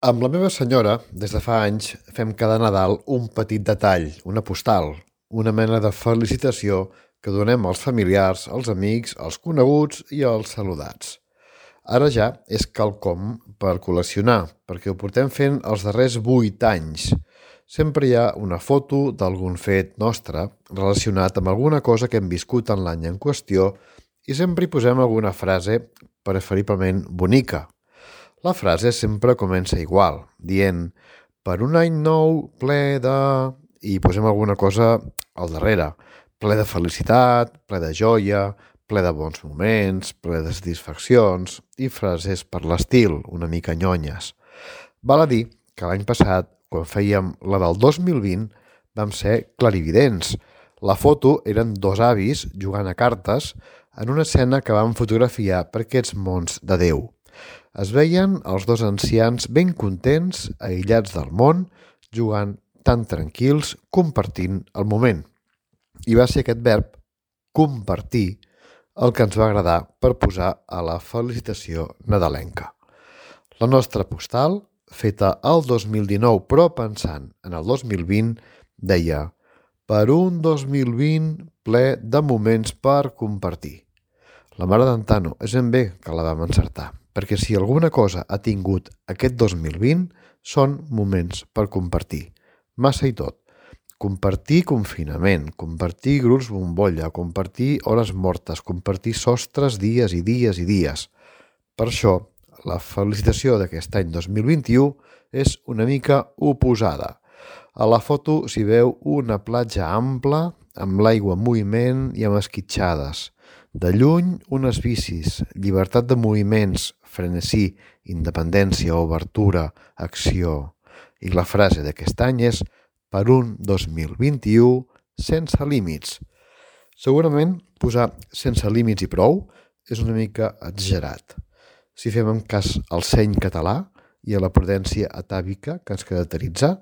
Amb la meva senyora, des de fa anys, fem cada Nadal un petit detall, una postal, una mena de felicitació que donem als familiars, als amics, als coneguts i als saludats. Ara ja és quelcom per col·leccionar, perquè ho portem fent els darrers 8 anys. Sempre hi ha una foto d'algun fet nostre relacionat amb alguna cosa que hem viscut en l'any en qüestió i sempre hi posem alguna frase preferiblement bonica. La frase sempre comença igual, dient «Per un any nou ple de...» i posem alguna cosa al darrere, ple de felicitat, ple de joia, ple de bons moments, ple de satisfaccions i frases per l'estil, una mica nyonyes. Val a dir que l'any passat, quan fèiem la del 2020, vam ser clarividents. La foto eren 2 avis jugant a cartes en una escena que vam fotografiar per aquests mons de Déu. Es veien els 2 ancians ben contents, aïllats del món, jugant tan tranquils, compartint el moment. I va ser aquest verb, compartir, el que ens va agradar per posar a la felicitació nadalenca. La nostra postal, feta el 2019 però pensant en el 2020, deia «Per un 2020 ple de moments per compartir». La mare d'en Tano és ben bé que la vam encertar, perquè si alguna cosa ha tingut aquest 2020 són moments per compartir. Massa i tot. Compartir confinament, compartir grups bombolla, compartir hores mortes, compartir sostres dies i dies i dies. Per això, la felicitació d'aquest any 2021 és una mica oposada. A la foto s'hi veu una platja ampla, amb l'aigua en moviment i amb esquitxades. De lluny, unes bicis, llibertat de moviments, frenesí, independència, obertura, acció. I la frase d'aquest any és «Per un 2021 sense límits». Segurament posar sense límits i prou és una mica exagerat. Si fem en cas al seny català i a la prudència atàvica que ens caracteritza,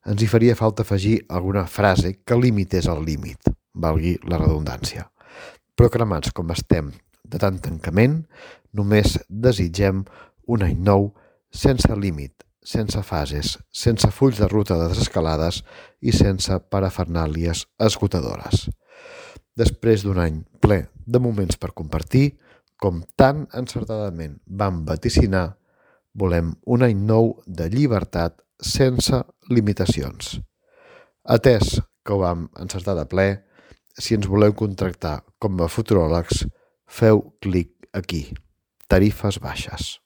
ens hi faria falta afegir alguna frase que limités el límit, valgui la redundància. Però cremats com estem de tant tancament, només desitgem un any nou sense límit, sense fases, sense fulls de ruta desescalades i sense parafernàlies esgotadores. Després d'un any ple de moments per compartir, com tan encertadament vam vaticinar, volem un any nou de llibertat sense limitacions. Atès que ho vam encertar de ple, si ens voleu contractar com a futuròlegs, feu clic aquí. Tarifes baixes.